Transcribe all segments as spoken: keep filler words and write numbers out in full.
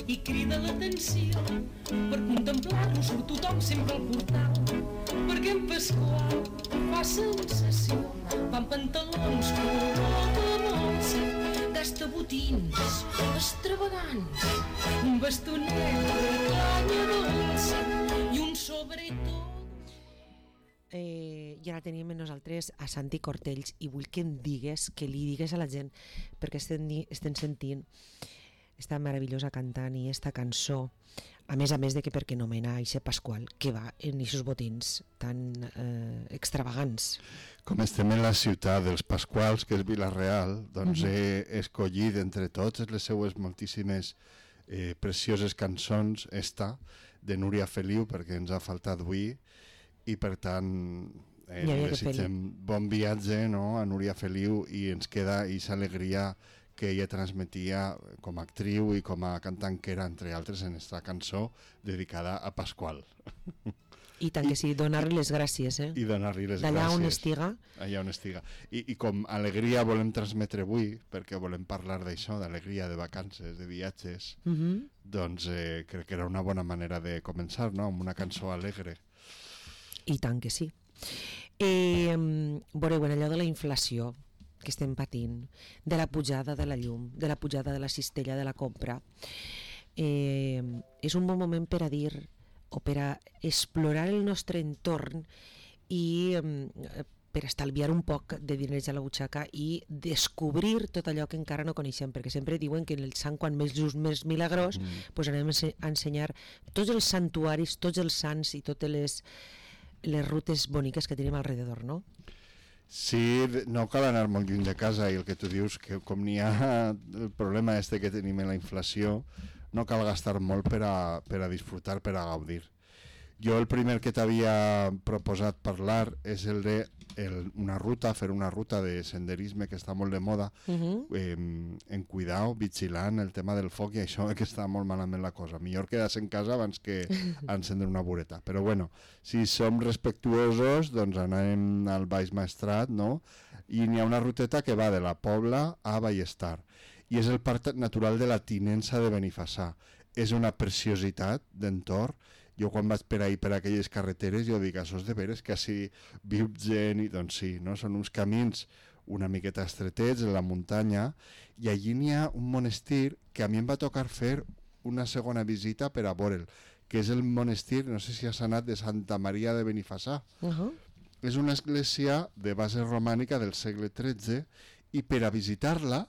i crida l'atenció per contemplar-lo surt tothom sempre al portal perquè en Pasqual fa sensació va amb pantalons color de molsa gasta botins extravagants un bastonet de canya dolça i un sobretot. Eh, I ara tenim amb nosaltres a Santi Cortells i vull que em digues, que li digues a la gent perquè estem, estem sentint esta meravellosa cantant i esta cançó, a més a més de que perquè nomena Aixe Pasqual, que va en aquests botins tan eh, extravagants. Com estem en la ciutat dels Pasquals, que és Vila-real, doncs Mhm. he escollit entre totes les seues moltíssimes eh, precioses cançons esta de Núria Feliu, perquè ens ha faltat avui, i per tant eh, Ja havia que desitgem bon viatge, no, a Núria Feliu, i ens queda aquesta alegria que ella transmetia com a actriu i com a cantant que era, entre altres, en esta cançó dedicada a Pasqual. I tant que sí, donar-li les gràcies, eh? I donar-li les D'allà gràcies. on estiga. Allà on estiga. I, I com alegria volem transmetre avui, perquè volem parlar d'això, d'alegria, de vacances, de viatges, Uh -huh. doncs eh, crec que era una bona manera de començar, no?, amb una cançó alegre. I tant que sí. Eh, veureu, en allò de la inflació que estem patint, de la pujada de la llum, de la pujada de la cistella de la compra, eh, és un bon moment per a dir o per a explorar el nostre entorn i eh, per estalviar un poc de diners a la butxaca i descobrir tot allò que encara no coneixem, perquè sempre diuen que en el sant quan més just més milagrós, mm. pues anem a ensenyar tots els santuaris, tots els sants i totes les les rutes boniques que tenim alrededor, no? Sí, no cal anar molt lluny de casa, i el que tu dius, que com n'hi ha el problema este que tenim en la inflació, no cal gastar molt per a, per a disfrutar, per a gaudir. Jo el primer que t'havia proposat parlar és el de el, una ruta, fer una ruta de senderisme que està molt de moda, Uh-huh. eh, en cuidar, vigilant el tema del foc i això que està molt malament la cosa. Millor quedar-se en casa abans que encendre una bureta. Però bueno, si som respectuosos, doncs anem al Baix Maestrat, no? I n'hi ha una ruteta que va de la Pobla a Ballestar. I és el Parc Natural de la Tinença de Benifassà. És una preciositat d'entorn. Jo quan vaig per ahir per aquelles carreteres jo dic, això és de veres que així viu gent, i doncs sí, no? Són uns camins una miqueta estretets en la muntanya, i allí n'hi ha un monestir que a mi em va tocar fer una segona visita per a veure'l, que és el monestir, no sé si has anat, de Santa Maria de Benifassà. Uh-huh. És una església de base romànica del segle tretze, i per a visitar-la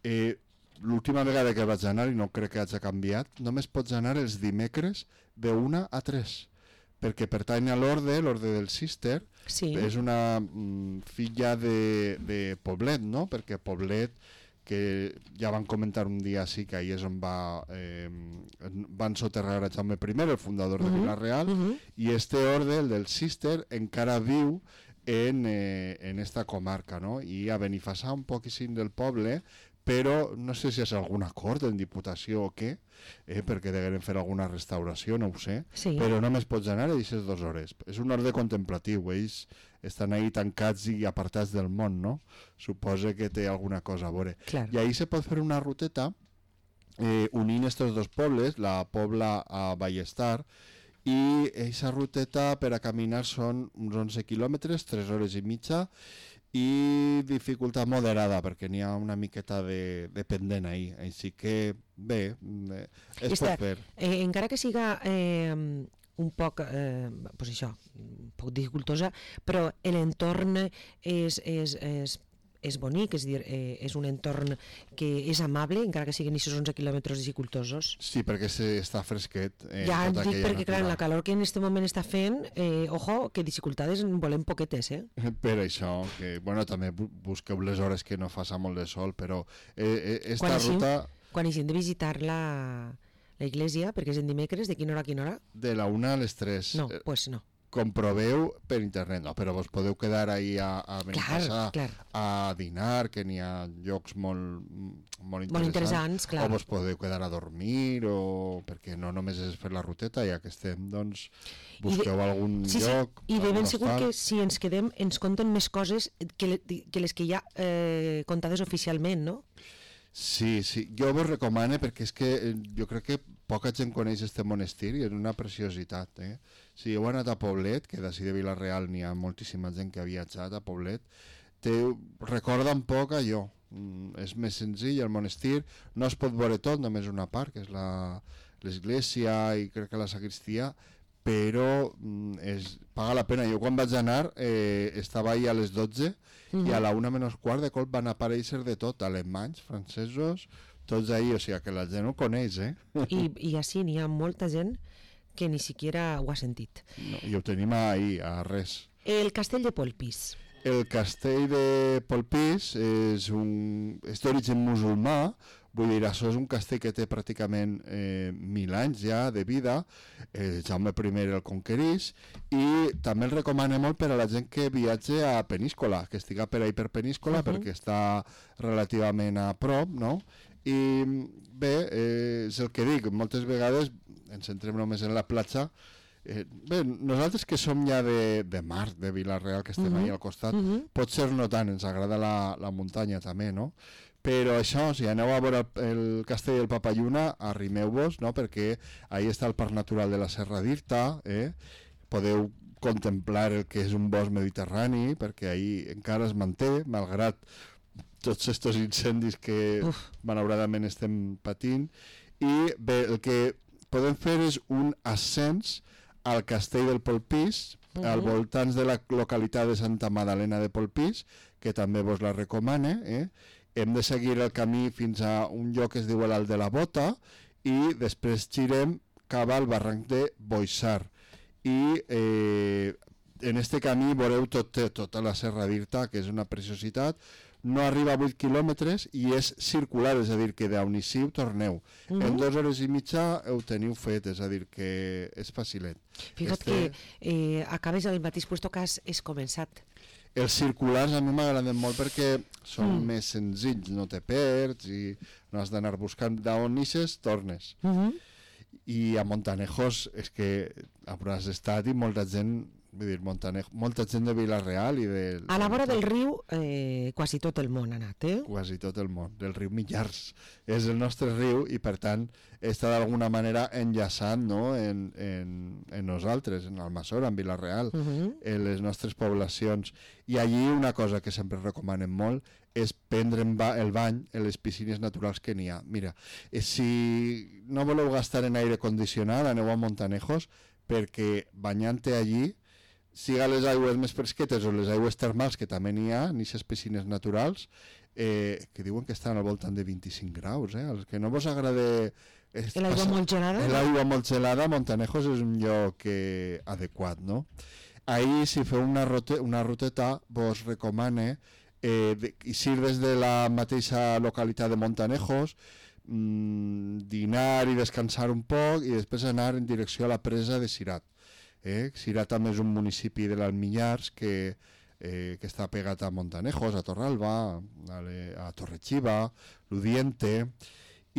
eh, l'última vegada que vaig anar, i no crec que hagi canviat, només pots anar els dimecres de una a tres, perquè pertany a l'orde, l'orde del Cister. Sí. És una mm, filla de, de Poblet, no? Perquè Poblet, que ja van comentar un dia sí que ahir és on va, eh, van soterrar a Jaume I, el fundador de Uh-huh. Vila-real, Uh-huh. i este orde, el del Cister, encara viu en, eh, en esta comarca, no? I a Benifassà, un poquíssim del poble, però no sé si és algun acord en Diputació o què, eh, perquè degueren fer alguna restauració, no ho sé, Sí. però només pots anar a aquestes dues hores. És un orde contemplatiu, ells estan ahí tancats i apartats del món, no? Suposa que té alguna cosa a veure. Clar. I ahí se pot fer una ruteta eh, unint estos dos pobles, la Pobla a Ballestar, i aquesta ruteta per a caminar són uns onze quilòmetres, tres hores i mitja, i dificultat moderada perquè n'hi ha una miqueta de, de pendent ahí, així que bé, eh, es Esta, pot fer. eh, encara que siga eh, un poc eh, pues això, un poc dificultosa, però l'entorn és, és, és és bonic, és dir, eh, és un entorn que és amable, encara que siguin aquests onze quilòmetres dificultosos. Sí, perquè se està fresquet. Eh, Ja tota dic aquella perquè, clar, natura. la calor que en aquest moment està fent, eh, ojo, que dificultades en volem poquetes, eh? Per això, que, bueno, també bu- busqueu les hores que no faça molt de sol, però eh, eh, esta Quan així, ruta quan així hem de visitar la, la iglesia, perquè és en dimecres, de quina hora a quina hora? de la una a les tres. No, eh, pues no. comproveu per internet, no, però vos podeu quedar ahí a, a Benifassà clar. a dinar, que n'hi ha llocs molt, molt interessants, Molt interessants, clar. o vos podeu quedar a dormir, o perquè no només és fer la ruteta, ja que estem, doncs busqueu I de, algun sí, lloc. sí, i de ben algun segur hostal. que si ens quedem ens conten més coses que, le, que les que hi ha eh, contades oficialment, no? Sí, sí, jo vos recomano perquè és que eh, jo crec que poca gent coneix este monestir i és una preciositat. Eh? Si heu anat a Poblet, que d'ací de Vila-real n'hi ha moltíssima gent que ha viatjat a Poblet, te recorda un poc allò. Mm, és més senzill, el monestir no es pot veure tot, només una part, que és l'església i crec que la sagristia, però mm, és, paga la pena. Jo quan vaig anar eh, estava ahí a les dotze mm-hmm. i a la una menys quart de colp van aparèixer de tot, alemanys, francesos, tots ahí, o sigui que la gent ho coneix, eh? I, i així n'hi ha molta gent que ni siquiera ho ha sentit. No, i ho tenim ahí, a res. El castell de Polpís. El castell de Polpís és, un, és d'origen musulmà, vull dir, això és un castell que té pràcticament eh, mil anys ja de vida, eh, Jaume primer el conquerís, i també el recomano molt per a la gent que viatge a Peníscola, que estiga per ahí per Peníscola, uh-huh. perquè està relativament a prop, no? I bé, eh, és el que dic, moltes vegades ens centrem només en la platja. Eh, bé, nosaltres que som ja de, de mar, de Vila-real, que estem uh-huh. ahí al costat, uh-huh. potser no tant, ens agrada la, la muntanya també, no? Però això, si aneu a veure el, el castell del Papalluna, arrimeu-vos, no? Perquè ahí està el parc natural de la Serra d'Irta, eh? Podeu contemplar el que és un bosc mediterrani, perquè ahí encara es manté, malgrat tots aquests incendis que Uf. malauradament estem patint. I bé, el que podem fer és un ascens al castell del Polpís, uh-huh. al voltants de la localitat de Santa Madalena de Polpís, que també vos la recomane. Eh? Hem de seguir el camí fins a un lloc que es diu l'Alt de la Bota i després girem cap al barranc de Boixar. I eh, en este camí veureu tot, tota la Serra d'Irta, que és una preciositat. No arriba a vuit quilòmetres i és circular, és a dir, que d'Aunissiu torneu. Uh-huh. En dues hores i mitja ho teniu fet, és a dir, que és facilet. Fixa't este... que eh, acabes al mateix puesto que has és començat. Els circulars a mi m'agraden molt perquè són mm. més senzills, no te perds i no has d'anar buscant d'on ixes, tornes. Uh-huh. I a Montanejos és que hauràs estat i molta gent... Vull dir, Montanejo, molta gent de Vila-real i de... A la vora del riu eh, quasi tot el món ha anat, eh? Quasi tot el món, del riu Millars. És el nostre riu i per tant està d'alguna manera enllaçant, no? en, en, en nosaltres, en Almassora, en Vila-real, uh-huh. en les nostres poblacions. I allí una cosa que sempre recomanem molt és prendre el bany en les piscines naturals que n'hi ha. Mira, si no voleu gastar en aire condicionat, aneu a Montanejos, perquè banyant-te allí, siga les aigües més fresquetes o les aigües termals, que també n'hi ha, en aquestes piscines naturals, eh, que diuen que estan al voltant de vint-i-cinc graus. Eh? Els que no vos agrada... L'aigua molt gelada? L'aigua molt gelada, Montanejos és un lloc eh, adequat, no? Ahir, si feu una, rote, una ruteta, vos recomane eh, de, eixir des de la mateixa localitat de Montanejos, mmm, dinar i descansar un poc i després anar en direcció a la presa de Cirat. Eh? Cirat també és un municipi de l'Alminyars que, eh, que està pegat a Montanejos, a Torralba, a, le, a Torre-xiva, l'Udiente,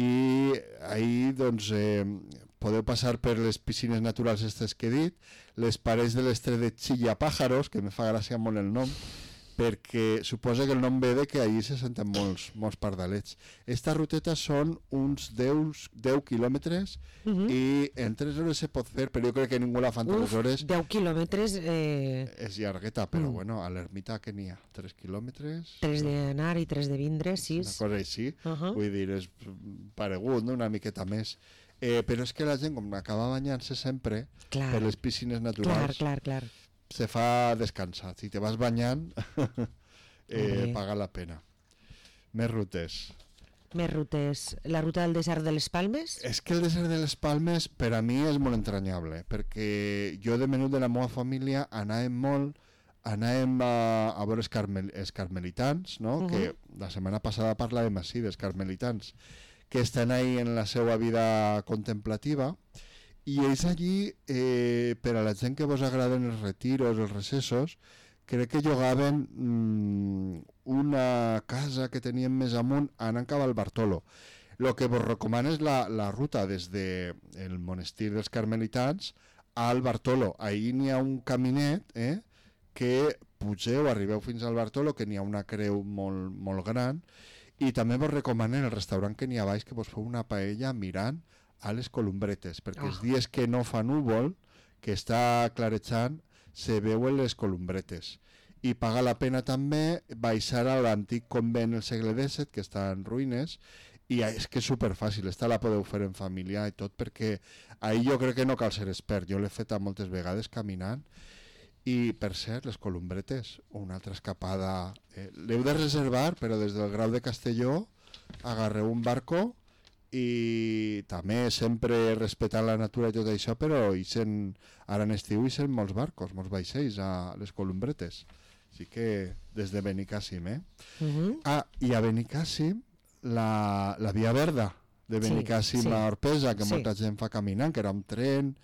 i ahir doncs, eh, podeu passar per les piscines naturals aquestes que he dit, les parets de l'estret de Chillapájaros, que me fa gràcia molt el nom, perquè suposa que el nom ve de que allí se senten molts, molts pardalets. Esta ruteta són uns deu quilòmetres uh-huh. i en tres hores se pot fer, però jo crec que ningú la fa en tres hores. deu quilòmetres... Eh... És llargueta, però mm. bueno, a l'ermita que n'hi ha? tres quilòmetres? tres d'anar i tres de vindre, sis. Una cosa així, uh-huh. vull dir, és paregut, no? Una miqueta més. Eh, però és que la gent, com acaba banyant-se sempre clar. Per les piscines naturals... Clar, clar, clar. Se fa descansar. Si te vas banyant, eh, paga la pena. Més rutes. Més rutes. La ruta del desert de les Palmes? És que el desert de les Palmes per a mi és molt entranyable, perquè jo de menut de la meva família anàvem molt, anàvem a, a veure els, carmel, els carmelitans, no? Uh-huh. Que la setmana passada parlàvem així dels carmelitans, que estan ahí en la seva vida contemplativa. I ells allí, eh, per a la gent que vos agraden els retiros, els recessos, crec que llogaven mmm, una casa que tenien més amunt anant cap al Bartolo. El que vos recomano és la, la ruta des del monestir dels carmelitans al Bartolo. Ahir n'hi ha un caminet eh, que pugeu, arribeu fins al Bartolo, que n'hi ha una creu molt, molt gran, I també vos recomanen el restaurant que n'hi ha baix que vos feu una paella mirant a les columbretes, perquè Oh. els dies que no fa núvol, que està clarejant, se veuen les columbretes. I paga la pena també baixar a l'antic convent del segle disset, que està en ruïnes, i és que és superfàcil, esta la podeu fer en família i tot, perquè ahir jo crec que no cal ser expert, jo l'he fet moltes vegades caminant, i per cert, les columbretes, una altra escapada, eh, l'heu de reservar, però des del Grau de Castelló agarreu un barco i també sempre respectant la natura i tot això, però ixen, ara en estiu ixen molts barcos, molts vaixells a les columbretes, així que des de Benicàssim, eh? Uh-huh. Ah, i a Benicàssim la, la Via Verda de Benicàssim Sí, sí. a Orpesa, que Sí. molta gent fa caminant, que era un tren,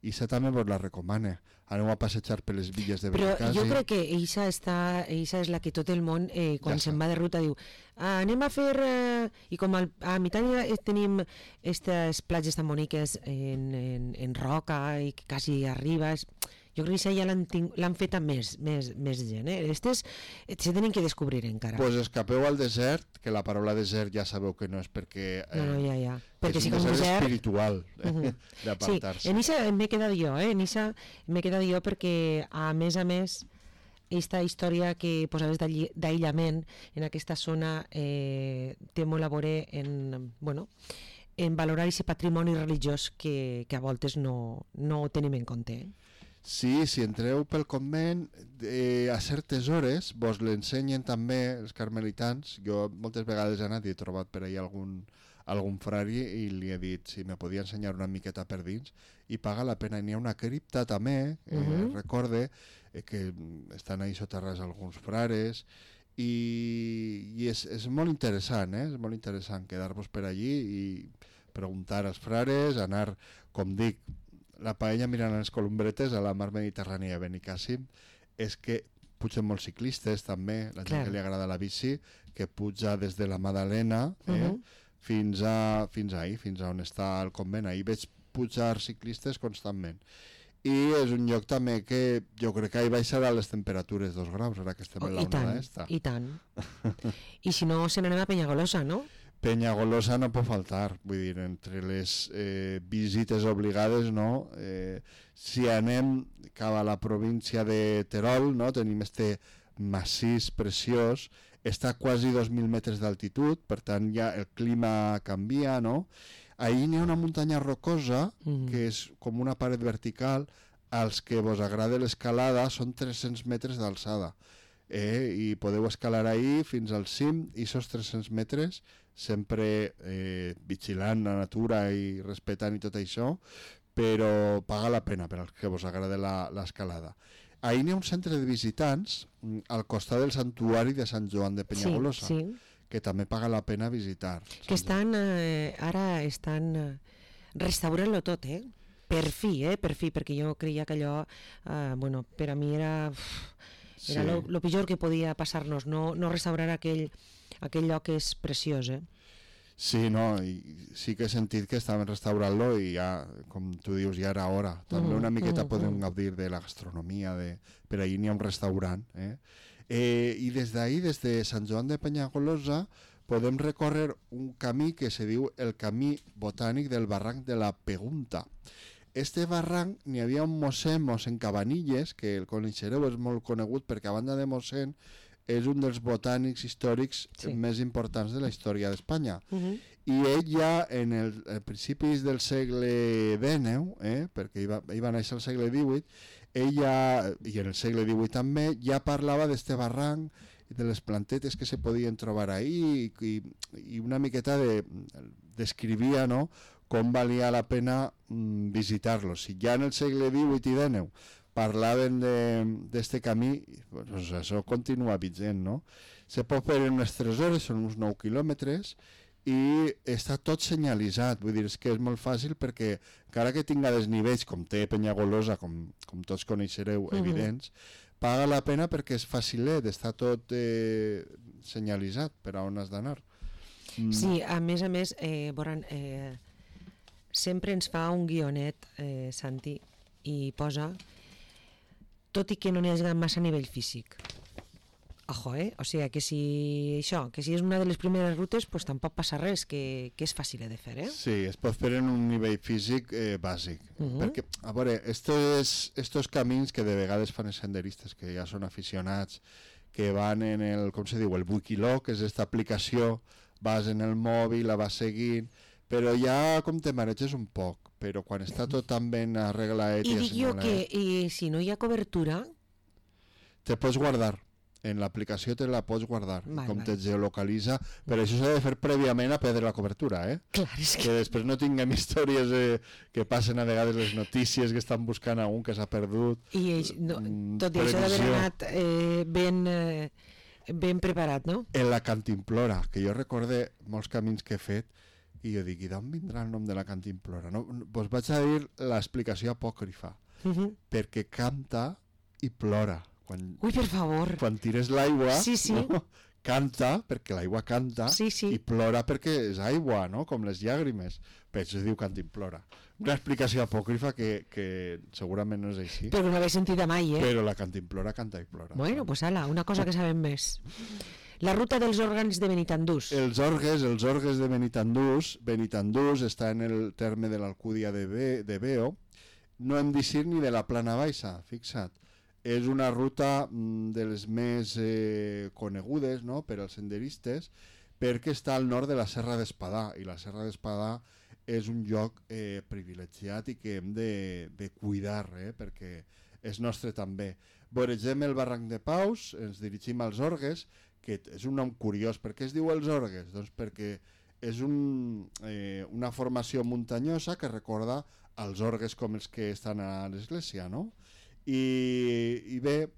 i això també vos la recomana. Aneu a passejar per les villes de Però Benicàssim. jo crec que eixa, està, eixa és la que tot el món, eh, quan Ja se'n està. va de ruta, diu ah, anem a fer... Eh, I com al, a Mitània eh, tenim aquestes platges tan boniques en, en, en roca i que quasi arribes... Jo crec que això ja l'han ting- l'han fet a més, més, més gent. Eh? Aquestes eh, se tenen que descobrir encara. Pues escapeu al desert, que la paraula desert ja sabeu que no és perquè... Eh, no, no, ja, ja. Perquè és si un com desert desert... espiritual, eh, Mhm. Sí, d'apartar-se. en Issa m'he quedat jo, eh? En Issa m'he quedat jo perquè, a més a més, aquesta història que posaves d'alli- d'aïllament en aquesta zona eh, té molt a veure en, bueno, en valorar aquest patrimoni religiós que, que a voltes no, no tenim en compte. Eh? Sí, si entreu pel convent, eh, a certes hores vos l'ensenyen també els carmelitans. Jo moltes vegades he anat i he trobat per ahí algun, algun frari i li he dit si me podia ensenyar una miqueta per dins, i paga la pena. N'hi ha una cripta també, eh, Mhm. recorde, eh, que estan ahí soterrats alguns frares, i, i és, és molt interessant, eh? És molt interessant quedar-vos per allí i preguntar als frares, anar, com dic, la paella mirant les columbretes a la mar Mediterrània a Benicàssim, és que pugen molts ciclistes també, la gent Clar. que li agrada la bici, que puja des de la Madalena eh, Mhm. fins a fins ahí, fins a on està el convent. Ahí veig pujar ciclistes constantment. I és un lloc també que jo crec que ahí baixarà les temperatures dos graus, ara que estem Oh, en la I tant, onada esta. i tant. I si no, se n'anem a Penyagolosa, no? Penyagolosa no pot faltar, vull dir, entre les eh, visites obligades, no? Eh, si anem cap a la província de Terol, no? Tenim este massís preciós, està a quasi dos mil metres d'altitud, per tant ja el clima canvia, no? Ahí n'hi ha una muntanya rocosa, Mhm. que és com una paret vertical, als que vos agrada l'escalada són tres-cents metres d'alçada. Eh, i podeu escalar ahí fins al cim, i esos tres-cents metres sempre eh, vigilant la natura i respectant i tot això, però paga la pena per als que vos agrada la- l'escalada. Ahí n'hi ha un centre de visitants mm, al costat del santuari de Sant Joan de Penyagolosa, Sí, sí. que també paga la pena visitar. Que estan, eh, ara estan eh, restaurant-lo tot, eh? Per fi, eh? Per fi, perquè jo creia que allò, eh, bueno, per a mi era... uf, era Sí. lo, lo pitjor que podia passar-nos, no, no restaurar aquell, aquell lloc que és preciós, eh? Sí, no, i sí que he sentit que estaven restaurant-lo i ja, com tu dius, ja era hora. També Mm, una miqueta mm, podem mm. gaudir de la gastronomia, de... per ahí n'hi ha un restaurant. Eh? Eh, I des d'ahí, des de Sant Joan de Penyagolosa, podem recórrer un camí que se diu el Camí Botànic del Barranc de la Pegunta. Este barranc n'hi havia un mossèn, mossèn Cabanilles, que el coneixereu, és molt conegut perquè a banda de mossèn és un dels botànics històrics Sí. més importants de la història d'Espanya. Uh -huh. I ell ja en el, a principis del segle dinou, eh, perquè ell va, ell va néixer al segle divuit, ell ja, i en el segle divuit també, ja parlava d'este barranc i de les plantetes que se podien trobar ahí i, i una miqueta de, descrivia, no?, com valia la pena mm, visitar-los. Si ja en el segle divuit i dinou parlaven d'este camí, doncs això continua vigent, no? Se pot fer en unes tres hores, són uns nou quilòmetres, i està tot senyalitzat, vull dir, és que és molt fàcil perquè encara que tinga desnivells, com té Penyagolosa, com, com tots coneixereu, Mhm. evidents, paga la pena perquè és facilet, està tot eh, senyalitzat per a on has d'anar. Mm. Sí, a més a més, eh, veuran, eh, sempre ens fa un guionet, eh, Santi, i posa, tot i que no n'hi hagi massa nivell físic. Ojo, eh? O sigui, que si això, que si és una de les primeres rutes, pues tampoc passa res, que, que és fàcil de fer, eh? Sí, es pot fer en un nivell físic eh, bàsic. Uh-huh. Perquè, a veure, estos, estos camins que de vegades fan els senderistes, que ja són aficionats, que van en el, com se diu, el Wikiloc, que és aquesta aplicació, vas en el mòbil, la vas seguint, però ja com te mareges un poc, però quan està tot tan ben arreglat I i dic jo que assenyalat, i si no hi ha cobertura, te pots guardar. En l'aplicació te la pots guardar, Val, com val. te geolocalitza, però això s'ha de fer prèviament a perdre la cobertura, eh? clar, és que... Que després no tinguem històries eh, que passen a vegades les notícies que estan buscant a un que s'ha perdut. I ell, no, Mm, tot i això d'haver previsió. anat eh, ben, eh, ben preparat, no? En la Cantimplora, que jo recorde molts camins que he fet, i jo dic, i d'on vindrà el nom de la Cantimplora? No, vos vaig a dir l'explicació apòcrifa, Uh -huh. perquè canta i plora. Quan, Ui, per favor. quan tires l'aigua, Sí, sí. no? Canta, perquè l'aigua canta, Sí, sí. i plora perquè és aigua, no? Com les llàgrimes. Per això es diu Cantimplora. Una explicació apòcrifa que, que segurament no és així, Però no l'he sentida mai, eh? però la Cantimplora canta i plora. Bueno, pues ala, una cosa que sabem més. La ruta dels òrgans de Benitandús. Els orgues, els orgues de Benitandús, Benitandús està en el terme de l'Alcúdia de, Be, de Beo, no hem dit ni de la Plana Baixa, fixa't. És una ruta mm, de les més eh, conegudes, no?, per als senderistes, perquè està al nord de la Serra d'Espadà, i la Serra d'Espadà és un lloc eh, privilegiat i que hem de, de cuidar, eh, perquè és nostre també. Voregem el barranc de Paus, ens dirigim als Orgues, que és un nom curiós. Per què es diu els Orgues? Doncs perquè és un, eh, una formació muntanyosa que recorda els orgues com els que estan a l'església, no? I, i bé,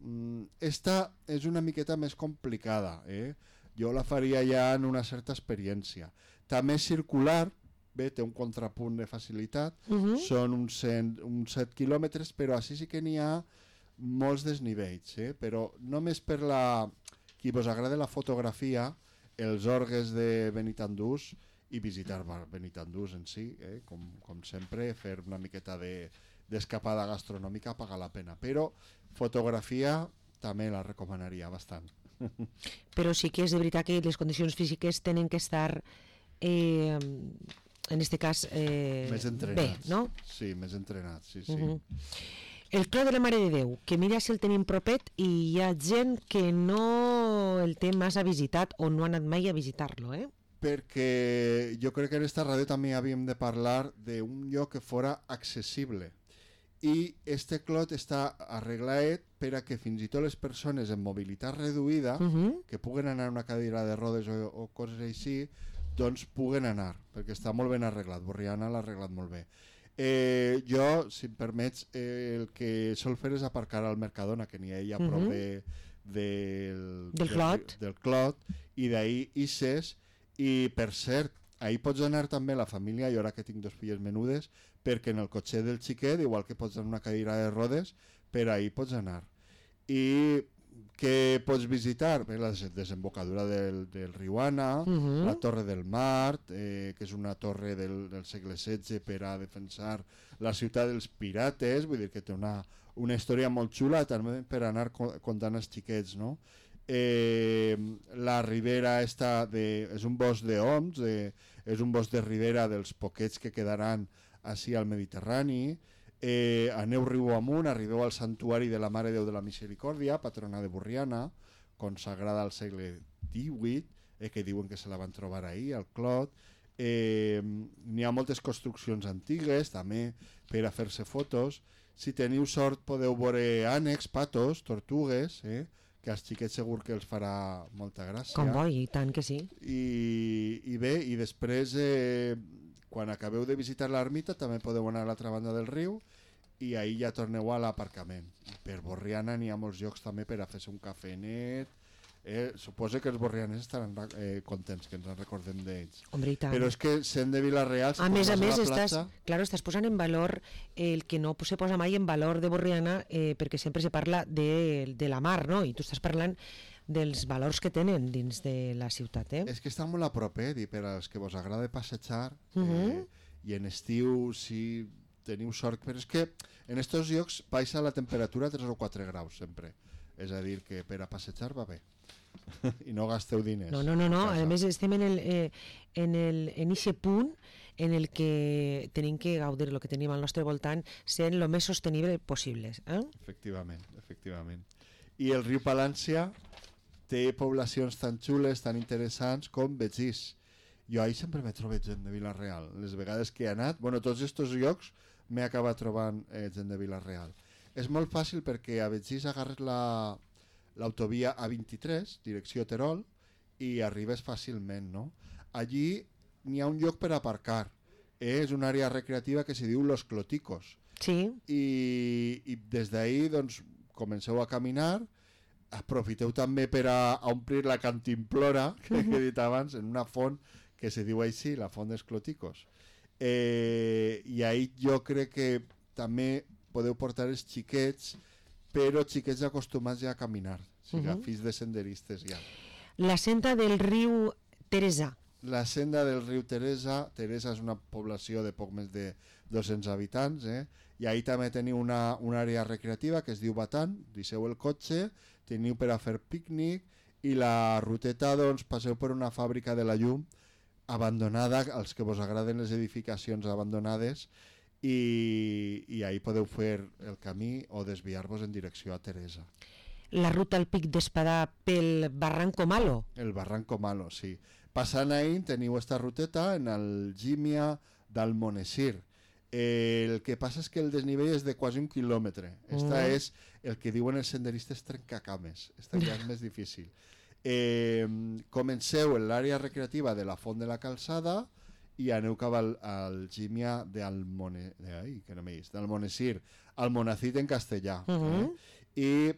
esta és una miqueta més complicada, eh? Jo la faria ja en una certa experiència. També és circular, bé, té un contrapunt de facilitat, Uh -huh. són uns, cent, uns set quilòmetres, però així sí que n'hi ha molts desnivells, eh? Però només per la... qui vos agrada la fotografia, els orgues de Benitandús i visitar Benitandús en si, eh? com, com sempre, fer una miqueta de d'escapada gastronòmica paga la pena, però fotografia també la recomanaria bastant. Però sí que és de veritat que les condicions físiques tenen que estar, eh, en este cas, eh, Més bé, entrenats. no? Sí, més entrenats, sí, sí. Uh -huh. El Clot de la Mare de Déu, que mira si el tenim propet i hi ha gent que no el té massa visitat o no ha anat mai a visitar-lo, eh? Perquè jo crec que en esta ràdio també havíem de parlar d'un lloc que fora accessible. I este clot està arreglat per a que fins i tot les persones amb mobilitat reduïda, Uh -huh. que puguen anar a una cadira de rodes o, o coses així, doncs puguen anar, perquè està molt ben arreglat. Borriana l'ha arreglat molt bé. Eh, jo, si em permets, eh, el que sol fer és aparcar al Mercadona, que n'hi ha ella a prop Mhm. de, del, Del Clot. del Clot, i d'ahir ixes, i per cert, ahir pots anar també la família, jo ara que tinc dos filles menudes, perquè en el cotxet del xiquet, igual que pots anar en una cadira de rodes, per ahir pots anar. I què pots visitar? Bé, la des- desembocadura del, del riu Ana, Mhm. la Torre del Mart, eh, que és una torre del, del segle setze per a defensar la ciutat dels pirates, vull dir que té una, una història molt xula també per anar co- contant als xiquets, no? Eh, la ribera està de, és un bosc d'oms, de, és un bosc de ribera dels poquets que quedaran així al Mediterrani. Eh, aneu riu amunt, arribeu al santuari de la Mare de Déu de la Misericòrdia, patrona de Borriana, consagrada al segle divuit, eh, que diuen que se la van trobar ahir, al Clot. Eh, n'hi ha moltes construccions antigues, també, per a fer-se fotos. Si teniu sort podeu veure ànecs, patos, tortugues, eh, que als xiquets segur que els farà molta gràcia. Com bo, i tant que sí. I, i bé, i després eh, quan acabeu de visitar l'ermita també podeu anar a l'altra banda del riu i ahir ja torneu a l'aparcament. Per Borriana n'hi ha molts llocs també per a fer-se un cafenet. Eh, suposo que els borrianers estaran eh, contents que ens en recordem d'ells. Hombre, i tant. Però és que sent de Vila-real, si A més a vas més, la estàs, platja, claro, estàs posant en valor el que no se posa mai en valor de Borriana, eh, perquè sempre se parla de, de la mar, no? I tu estàs parlant dels valors que tenen dins de la ciutat, eh? és que està molt a prop, eh? I per als que vos agrada passejar, Mhm. eh, i en estiu, si teniu sort, però és que en estos llocs baixa la temperatura a tres o quatre graus sempre. És a dir, que per a passejar va bé. I no gasteu diners. No, no, no, no. A més estem en el, eh, en el, en eixe punt en el que tenim que gaudir el que tenim al nostre voltant sent el més sostenible possible. Eh? Efectivament, efectivament. I el riu Palància té poblacions tan xules, tan interessants com Betxís. Jo ahir sempre me trobo gent de Vila-real. Les vegades que he anat, bueno, tots aquests llocs m'he acabat trobant eh, gent de Vila-real. És molt fàcil perquè a Betxís agarres la l'autovia A vint-i-tres, direcció Terol, i arribes fàcilment, no? Allí n'hi ha un lloc per aparcar. Eh? És una àrea recreativa que se diu Los Cloticos. Sí. I, i des d'ahir, doncs, comenceu a caminar, aprofiteu també per a, a omplir la cantimplora que he dit abans, en una font que se diu així, la font dels Cloticos. Eh, I ahir jo crec que també podeu portar els xiquets, però xiquets acostumats ja a caminar, o sigui, uh -huh. fills de senderistes ja. La senda del riu Teresa. La senda del riu Teresa, Teresa és una població de poc més de dos-cents habitants, eh? I ahir també teniu una, una àrea recreativa que es diu Batan, deixeu el cotxe, teniu per a fer pícnic, i la ruteta, doncs, passeu per una fàbrica de la llum abandonada, als que vos agraden les edificacions abandonades, i, i ahir podeu fer el camí o desviar-vos en direcció a Teresa. La ruta al Pic d'Espadà pel Barranco Malo. El Barranco Malo, sí. Passant ahir teniu esta ruteta en Algímia d'Almonesir. Eh, el que passa és que el desnivell és de quasi un quilòmetre. Esta mm. és el que diuen els senderistes trencacames. Esta ja és més difícil. Eh, comenceu en l'àrea recreativa de la Font de la Calçada i aneu cap al Algímia d'Almonesir, Almonacid en castellà. Uh -huh. eh? I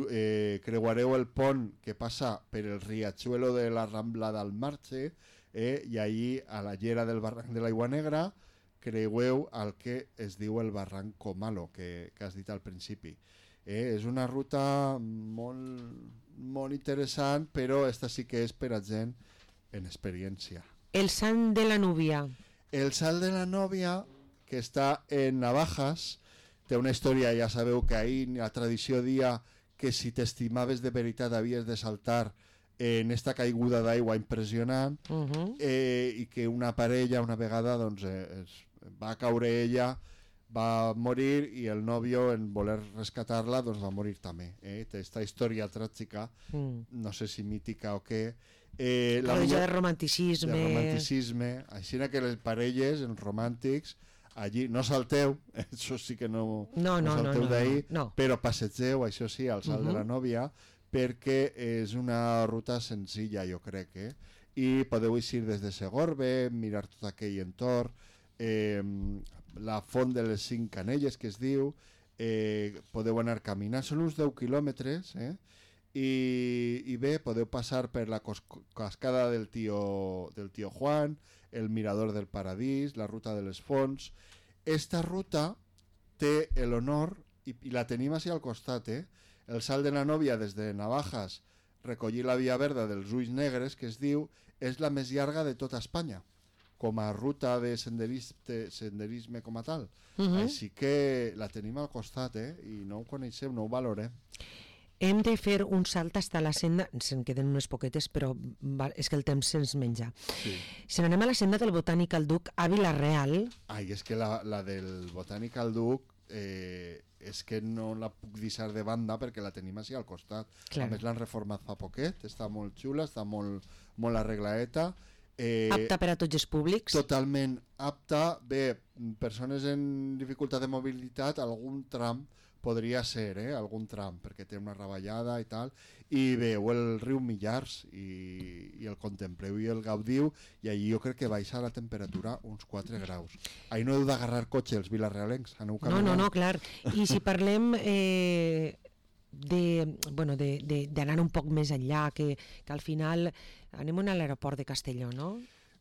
eh, creuareu el pont que passa per el riachuelo de la Rambla del Marche, eh? i allí a la llera del barranc de l'Aigua Negra creueu el que es diu el Barranco Malo, que, que has dit al principi. Eh? És una ruta molt, molt interessant, però esta sí que és per a gent en experiència. El Sant de la Núvia. El Salt de la Núvia, que està en Navajas, té una història, ja sabeu que ahir la tradició dia que si t'estimaves de veritat havies de saltar en esta caiguda d'aigua impressionant, uh -huh. eh, i que una parella una vegada doncs, eh, es, va caure ella, va morir, i el nòvio, en voler rescatar-la, doncs va morir també. Eh? Té esta història tràgica, mm. no sé si mítica o què. Eh, la millor de romanticisme. De romanticisme. Així que les parelles, els romàntics, allí no salteu, això sí que no, no, no, no salteu no, no, d'ahir, no. però passegeu, això sí, al Salt uh -huh. de la Núvia, perquè és una ruta senzilla, jo crec, eh? I podeu eixir des de Segorbe, mirar tot aquell entorn, eh, la Font de les Cinc Canelles, que es diu, eh, podeu anar caminant, són uns deu quilòmetres, eh? I, i bé, podeu passar per la cascada del tio, del tio Juan, el Mirador del Paradís, la Ruta de les Fonts. Esta ruta té l'honor, i, i la tenim així al costat, eh? El Salt de la Núvia des de Navajas, recollir la Via Verda dels Ulls Negres, que es diu, és la més llarga de tota Espanya, com a ruta de senderisme, senderisme com a tal. Uh -huh. Així que la tenim al costat, eh? I no ho coneixem, no ho valorem. Hem de fer un salt fins a la senda, se'n queden unes poquetes, però és que el temps se'ns menja. Sí. Si n'anem a la senda del Botànic Duc a Vila-real... Ai, és que la, la del Botànic Duc eh, és que no la puc deixar de banda perquè la tenim així al costat. Clar. A més l'han reformat fa poquet, està molt xula, està molt, molt arregladeta. Eh, apta per a tots els públics? Totalment apta. Bé, persones en dificultat de mobilitat, algun tram podria ser, eh? algun tram, perquè té una ravallada i tal, i veu el riu Millars i, i el contempleu i el gaudiu, i allí jo crec que baixa la temperatura uns quatre graus. Ahí no heu d'agarrar cotxe els vilarealencs, aneu caminant. No, no, no, clar. I si parlem eh, de, bueno, de, de, d'anar un poc més enllà, que, que al final anem a l'aeroport de Castelló, no?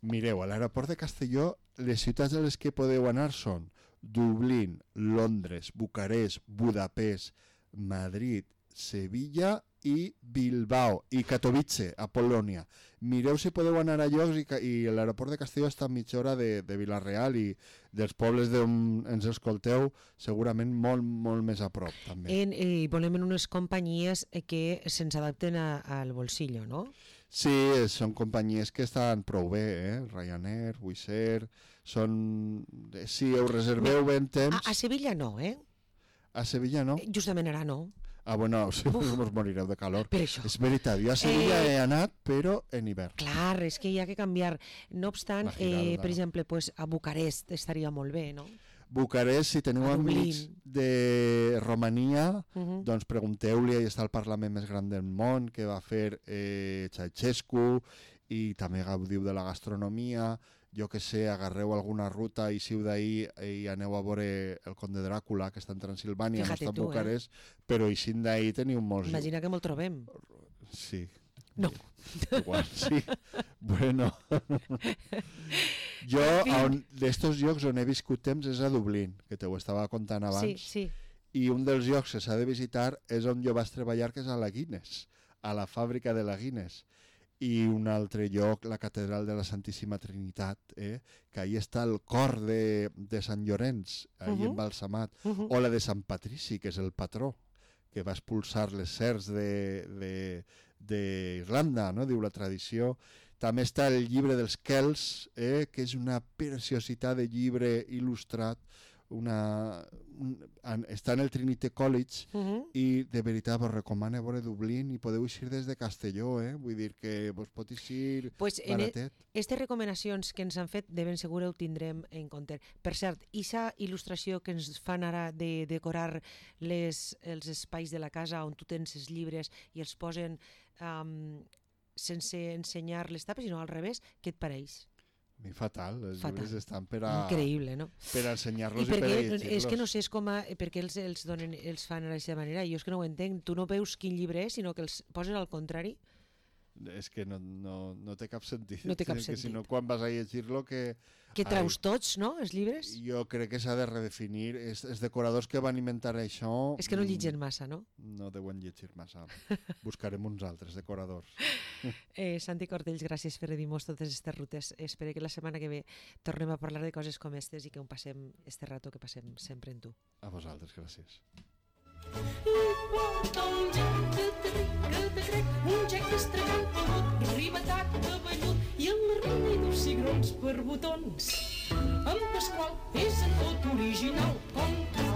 Mireu, a l'aeroport de Castelló les ciutats a les que podeu anar són Dublín, Londres, Bucarest, Budapest, Madrid, Sevilla i Bilbao i Katowice, a Polònia. Mireu si podeu anar a llocs i, i l'aeroport de Castelló està a mitja hora de, de Vila-real i dels pobles d'on ens escolteu segurament molt, molt més a prop també. En, eh, volem en unes companyies que se'ns adapten a, al bolsillo, no? Sí, són companyies que estan prou bé, eh? Ryanair, Wizz Air, són... Si ho reserveu bé en temps... A, a Sevilla no, eh? A Sevilla no? Justament ara no. Ah, bueno, si us morireu de calor. Per això. És veritat, jo a Sevilla Eh, he anat, però en hivern. Clar, és que hi ha que canviar. No obstant, La girada. eh, per exemple, pues, a Bucarest estaria molt bé, no? Bucarest, si teniu A Dublín. amics de Romania, Uh -huh. doncs pregunteu-li, ahí està el Parlament més gran del món, que va fer eh, Ceausescu, i també gaudiu de la gastronomia, jo que sé, agarreu alguna ruta i siu d'ahir i aneu a veure el Conde Dràcula, que està en Transilvània, no Fíjate està a tu, eh? Bucarest, però eixint d'ahir teniu molts... Imagina que me'l trobem. Sí. No. Igual, sí. Bueno. Jo, on, d'estos llocs on he viscut temps és a Dublín, que te ho estava contant abans. Sí, sí. I un dels llocs que s'ha de visitar és on jo vaig treballar, que és a la Guinness, a la fàbrica de la Guinness. I un altre lloc, la catedral de la Santíssima Trinitat, eh? Que ahí està el cor de, de Sant Llorenç, ahí Uh-huh. embalsamat, Uh -huh. o la de Sant Patrici, que és el patró, que va expulsar les serps d'Irlanda, no? Diu la tradició. També està el llibre dels Kells, eh? Que és una preciositat de llibre il·lustrat, una, un, en, està en el Trinity College, Uh -huh. i de veritat vos recomano veure Dublín i podeu eixir des de Castelló, eh? Vull dir que vos pot eixir Pues en baratet. Aquestes recomanacions que ens han fet de ben segur ho tindrem en compte. Per cert, aquesta il·lustració que ens fan ara de decorar les, els espais de la casa on tu tens els llibres i els posen um, sense ensenyar les tapes, sinó al revés, què et pareix? A mi fatal, els Fatal. llibres estan per a, Increïble, no? per a ensenyar-los I i, per a perquè, llegir-los. és que no sé és com a, per què els, els, donen, els fan d'aquesta manera, jo és que no ho entenc. Tu no veus quin llibre és, sinó que els poses al contrari. És que no, no, no té cap sentit. No té cap que sentit. si no, quan vas a llegir-lo, que... Que traus tots, no?, els llibres? Jo crec que s'ha de redefinir. Els, els decoradors que van inventar això... És que no mm, llitgen massa, no? No deuen llegir massa. Buscarem uns altres decoradors. Eh, Santi Cortells, gràcies per dir-nos totes aquestes rutes. Espero que la setmana que ve tornem a parlar de coses com aquestes i que ho passem, este rato que passem sempre en tu. A vosaltres, gràcies. Porta un gec que te ric, que te crec, un gec estrellat pelut, ribetat de vellut i el rei dos cigrons per botons. En Pasqual és en tot original, com